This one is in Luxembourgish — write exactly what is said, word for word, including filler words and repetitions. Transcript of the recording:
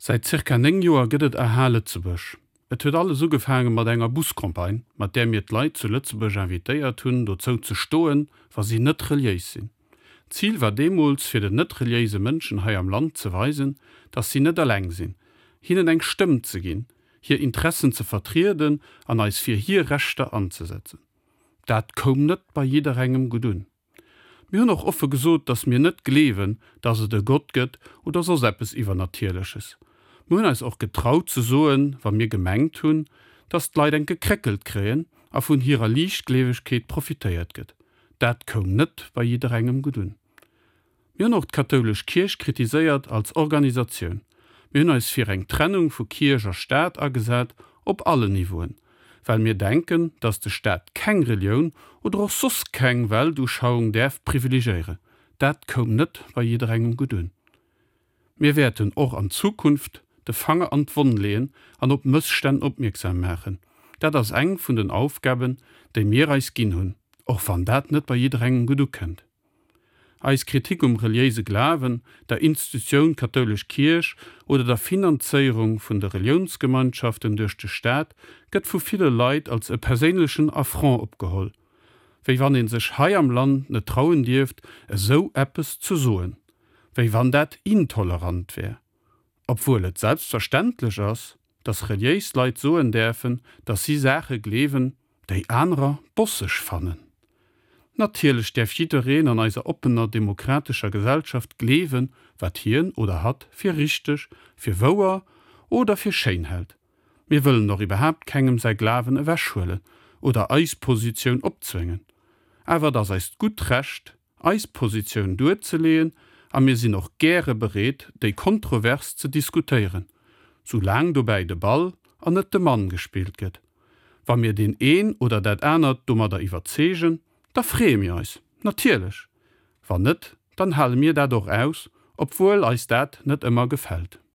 Säit zirka néng Joer gëtt et aha Lëtzebuerg. Et huet alles ugefaange mat enger Buscampagne, mat där mir d'Leit zu Lëtzebuerg invitéiert hunn, dozou ze stoen, wa si net reliéis sinn. D'Zil war deemools, fir den net-reliéise Mënschen hei am Land ze weisen, dass si net eleng sinn, hinnen eng Stëmm ze ginn, hir Interessen ze vertrieden an eis fir hir Rechter anzesetzen. Dat koum net bei jidderengem gutt un. Mir hunn och offe gesot, dass mir net gleewen, dass et e Gott gëtt oder soss eppes Iwwernatierleches. Mir hunn eis och getraut ze soen, wa mir gemengt hunn, dass d'Leit eng gekréckelt kréien a vun hirer Liichtgleewegkeet profitéiert gëtt. Dat koum net bei jidderengem gutt un. Mir hunn och d'kathoulesch Kierch kritiséiert als Organisatioun. Mir hunn eis fir eng Trennung vu Kierch a Staat agesat, op allen Niveauen, well mir denken, dass de Staat keng Relioun oder och soss keng Weltuschauung däerf privilegéieren. Dat koum net bei jidderengem gutt un. Mir wäerten och an Zukunft de Fanger an d'Wonn leeën an op Mësstänn opmierksam maachen. Dat ass eng vun den Aufgaben, déi mir eis ginn hunn, och wann dat net bei jidderengem gutt ukënnt. Eis Kritik um reliéise Glawen, der Institutioun kathoulesch Kierch oder der Finanzéierung vun de Reliounsgemeinschaften duerch de Staat gëtt vu ville Leit als e perséinlechen Affront opgeholl, wéi wann ee sech hei am Land net trauen dierft, esou eppes ze soen, wéi wann dat intolerant wär, obwuel et selbstverständlech ass, dass reliéis Leit soen däerfen, dass si Saache gleewen, déi anerer bosseg fannen. Natierlech däerf jiddereen an eiser oppener demokratescher Gesellschaft gleewen, wat hien oder hatt fir richteg, fir wouer oder fir schéin hält. Mir wëllen och iwwerhaapt kengem säi Glawen ewechhuelen oder eis Positioun opzwéngen. Awer et ass eist gutt Recht, eis Positioun duerzeleeën a mir sinn och gäre bereet, déi kontrovers ze diskutéieren, soulaang dobäi de Ball an net de Mann gespillt gëtt. Wa mir deen een oder dat anert domadder iwwerzeegen, da freeë mir eis natierlech. Wann net, dann hale mir dat och aus, obwuel eis dat net ëmmer gefält.